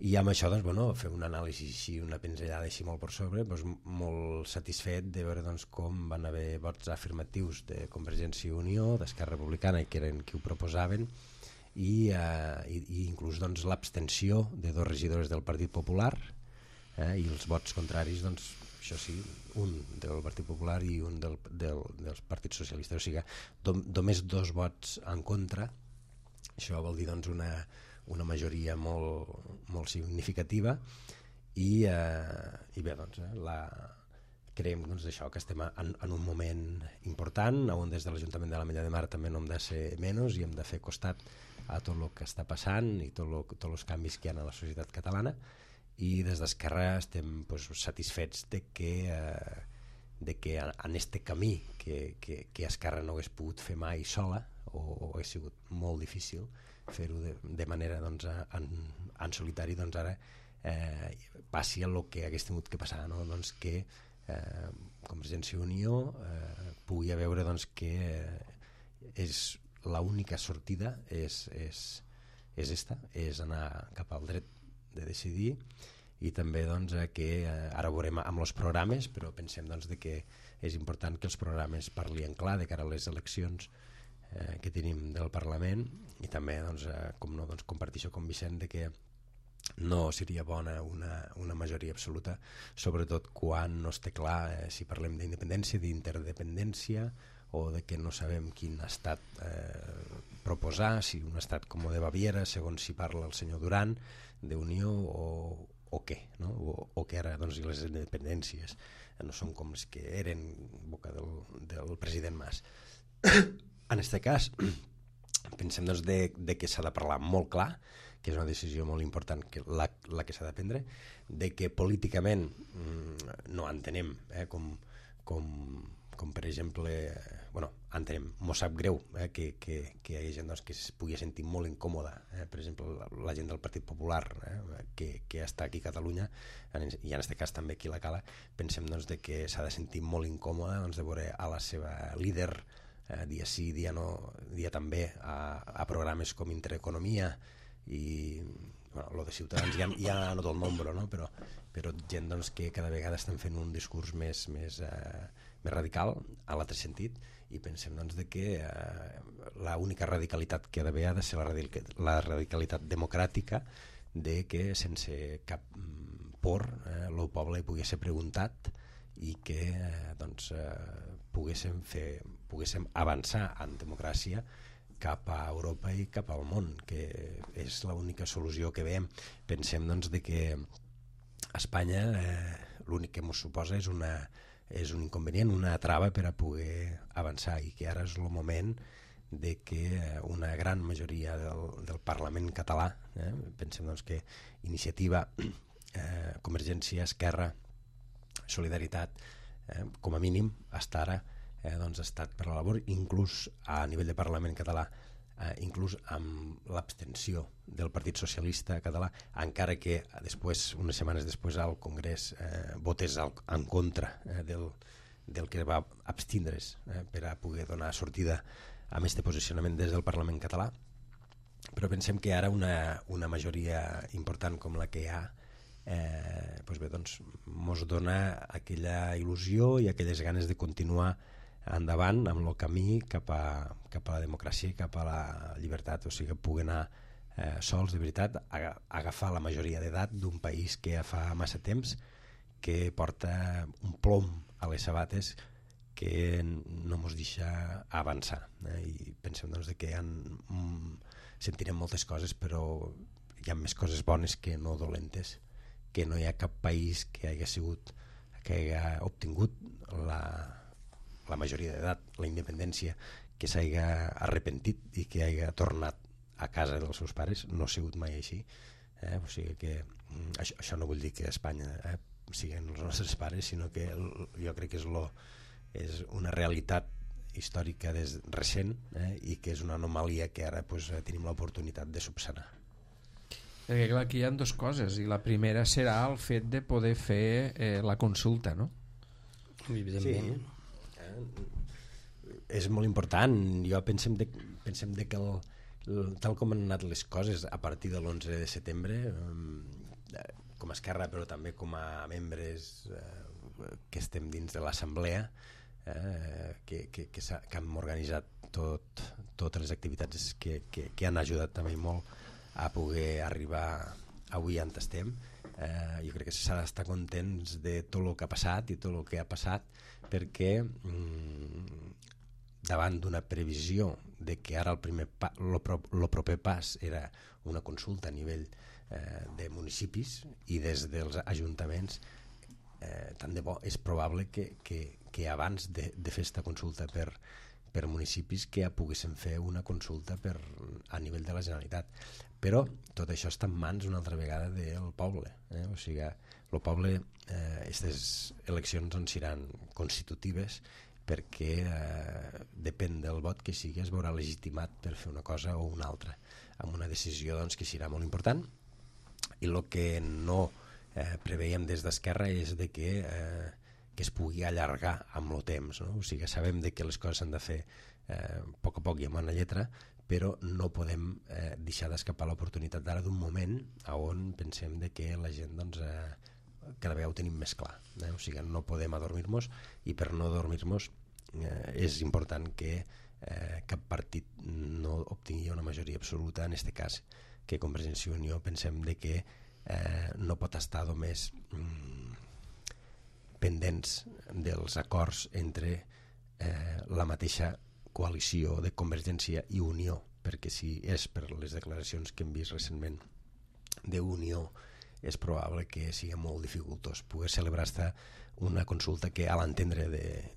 I amb això doncs, fer una anàlisi així, una pinzellada així molt per sobre, doncs, molt satisfet de veure doncs, com van haver vots afirmatius de Convergència i Unió, d'Esquerra Republicana, que eren qui ho proposaven, i inclús doncs, l'abstenció de 2 regidors del Partit Popular, i els vots contraris, doncs, això sí, un del Partit Popular i un dels partits socialistes. O sigui, només 2 vots en contra. Això vol dir doncs, una majoria molt significativa, i bé, doncs, creiem doncs, això, que estem en un moment important on des de l'Ajuntament de l'Ametlla de Mar també no hem de ser menys i hem de fer costat a tot el que està passant i tots els canvis que hi ha a la societat catalana, i des d'Esquerra estem satisfets de que en este camí que Esquerra no hagués pogut fer mai sola, o hagués sigut molt difícil fer-ho de manera doncs, en solitari, doncs ara passi el que hagués tingut que passar, no? Doncs que Convergència i Unió pugui veure doncs, que és l'única sortida és esta, és anar cap al dret de decidir, i també doncs, que ara ho veurem amb els programes, però pensem doncs, de que és important que els programes parlin clar de cara a les eleccions que tenim del Parlament, i també doncs, com no, doncs, compartir això com Vicent, de que no seria bona una majoria absoluta, sobretot quan no es té clar si parlem d'independència, d'interdependència, o de que no sabem quin estat proposar, si un estat com el de Baviera, segons si parla el senyor Duran, d'unió o què, no? O que ara doncs, les independències no són com les que eren en boca del president Mas. En aquest cas, pensem doncs, de que s'ha de parlar molt clar, que és una decisió molt important, que la que s'ha de prendre, de que políticament no entenem com per exemple, entenem, mos sap greu que hi hagi gent doncs, que es pugui sentir molt incòmoda, per exemple la gent del Partit Popular que està aquí a Catalunya, i en aquest cas també aquí a la Cala, pensem doncs, de que s'ha de sentir molt incòmoda doncs, de veure a la seva líder dia sí, dia no, dia també a programes com Intereconomia i lo de Ciutadans ja no tot el nombre, no? però gent doncs, que cada vegada estan fent un discurs més radical a l'altre sentit, i pensem doncs, de que l'única radicalitat que ha d'haver ha de ser la radicalitat democràtica, de que sense cap por el poble pugui ser preguntat i que doncs, poguéssim avançar en democràcia cap a Europa i cap al món, que és l'única solució que veiem. Pensem doncs, de que a Espanya l'únic que ens suposa és un inconvenient, una trava per a poder avançar, i que ara és el moment de que una gran majoria del Parlament català, pensem doncs, que Iniciativa, Convergència, Esquerra, Solidaritat, com a mínim, hasta ara doncs, ha estat per la labor, inclús a nivell de Parlament català, inclús amb l'abstenció del Partit Socialista català, encara que després, unes setmanes després al Congrés votés en contra del que va abstindre's per a poder donar sortida a aquest posicionament des del Parlament català. Però pensem que ara una majoria important com la que hi ha mos dona aquella il·lusió i aquelles ganes de continuar endavant amb el camí cap a la democràcia i cap a la llibertat, o sigui que pugui anar sols de veritat a agafar la majoria d'edat d'un país que ja fa massa temps que porta un plom a les sabates que no ens deixa avançar, i pensem doncs, que sentirem moltes coses, però hi ha més coses bones que no dolentes, que no hi ha cap país que hagi obtingut la majoria d'edat, la independència, que s'hagi arrepentit i que hagi tornat a casa dels seus pares. No ha sigut mai així, o sigui que això no vull dir que Espanya siguin els nostres pares, sinó que jo crec que és una realitat històrica recent, i que és una anomalia que ara tenim l'oportunitat de subsanar. Perquè clar, aquí hi ha dues coses, i la primera serà el fet de poder fer la consulta, no? Evidentment. Sí, és molt important. Jo pensem de que tal com han anat les coses a partir de l'11 de setembre, com a Esquerra, però també com a membres que estem dins de l'Assemblea, que hem organitzat totes les activitats que han ajudat també molt a poder arribar avui on estem. Jo crec que s'ha d'estar contents de tot el que ha passat i tot el que ha passat, perquè davant d'una previsió de que ara el proper pas era una consulta a nivell de municipis i des dels ajuntaments, tant de bo és probable que abans de fer aquesta consulta per municipis que ja poguéssim fer una consulta a nivell de la Generalitat. Però tot això està en mans una altra vegada del poble, o sigui, el poble, aquestes eleccions doncs seran constitutives, perquè depèn del vot que sigui es veurà legitimat per fer una cosa o una altra, amb una decisió doncs, que serà molt important. I el que no preveiem des d'Esquerra és de que es pugui allargar amb el temps, no? O sigui, sabem de que les coses s'han de fer a poc i amb una lletra, però no podem deixar d'escapar l'oportunitat d'ara d'un moment on pensem de que la gent doncs, cada vegada ho tenim més clar. O sigui, no podem adormir-nos, i per no adormir-nos és important que cap partit no obtingui una majoria absoluta, en aquest cas que Convergència i Unió pensem de que no pot estar només pendents dels acords entre la mateixa coalició de Convergència i Unió, perquè si és per les declaracions que hem vist recentment d'Unió, és probable que sigui molt dificultós poder celebrar-se una consulta que, a l'entendre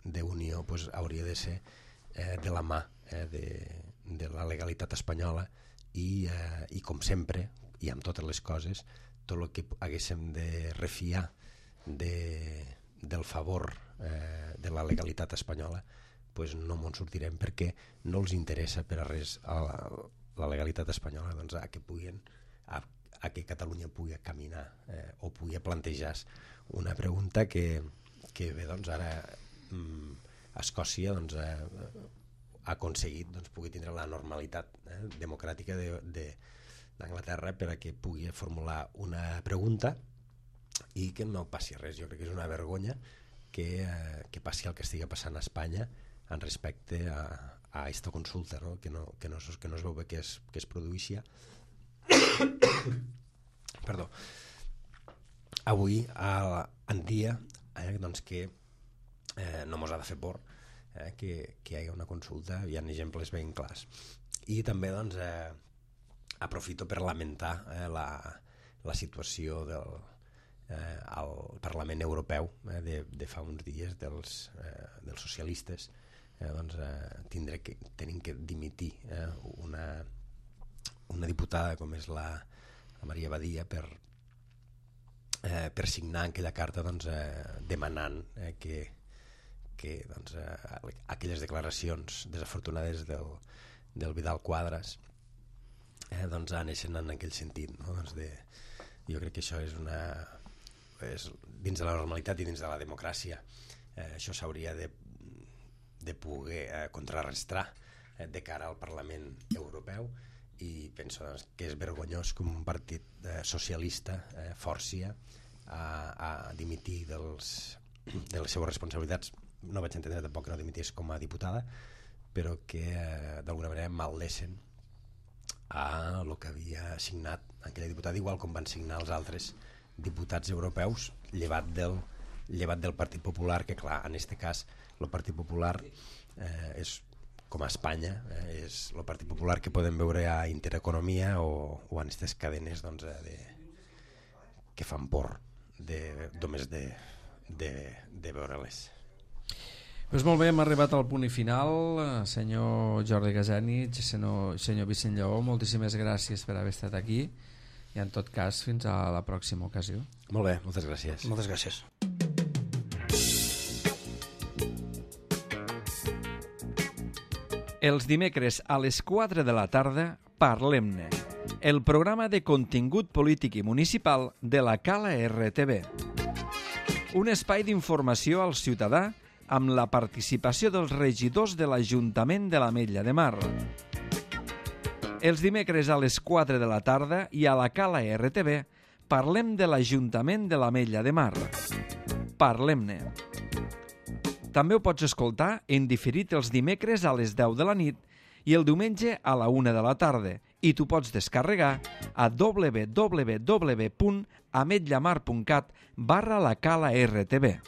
d'Unió, pues, hauria de ser de la mà de la legalitat espanyola i com sempre, i amb totes les coses, tot el que haguéssim de refiar del favor de la legalitat espanyola, pues no m'ho sortirem, perquè no els interessa per a res a la legalitat espanyola, doncs, a que Catalunya pugui caminar o pugui plantejar una pregunta que bé, doncs, ara Escòcia doncs, ha aconseguit doncs, pugui tindre la normalitat democràtica d'Anglaterra per a que pugui formular una pregunta i que no passi res. Jo crec que és una vergonya que passi el que estigui passant a Espanya en respecte a aquesta consulta, no? Que no es veu bé que es produïxia. Perdó. Avui en dia doncs que no mos ha de fer por que hi hagi una consulta, hi ha exemples ben clars. I també doncs, aprofito per lamentar la situació al Parlament Europeu de fa uns dies dels socialistes. Doncs, tenim que dimitir una diputada com és la Maria Badia per signar aquella carta doncs, demanant que doncs, aquelles declaracions desafortunades del Vidal Quadras doncs, aneixen en aquell sentit, no? Doncs jo crec que això és dins de la normalitat i dins de la democràcia. Això s'hauria de poder contrarrestar de cara al Parlament Europeu, i penso doncs, que és vergonyós que un partit socialista forci a dimitir de les seves responsabilitats. No vaig entendre tampoc que no dimitís com a diputada, però que d'alguna manera maldeixen a el que havia signat aquella diputada, igual com van signar els altres diputats europeus, llevat del Partit Popular, que clar, en aquest cas el Partit Popular és, com a Espanya, és el Partit Popular que podem veure a Intereconomia o en aquestes cadenes doncs, que fan por només de veure-les. Pues molt bé, hem arribat al punt i final. Senyor Jordi Gazzanic, senyor Vicent Lleó, moltíssimes gràcies per haver estat aquí, i en tot cas fins a la pròxima ocasió. Molt bé, moltes gràcies. Moltes gràcies. Els dimecres a les 4 de la tarda, Parlem-ne, el programa de contingut polític i municipal de la Cala RTV. Un espai d'informació al ciutadà amb la participació dels regidors de l'Ajuntament de l'Ametlla de Mar. Els dimecres a les 4 de la tarda i a la Cala RTV parlem de l'Ajuntament de l'Ametlla de Mar. Parlem-ne. També ho pots escoltar en diferit els dimecres a les 10 de la nit i el diumenge a la 1 de la tarda, i tu pots descarregar a www.ametllamar.cat/la Cala RTV.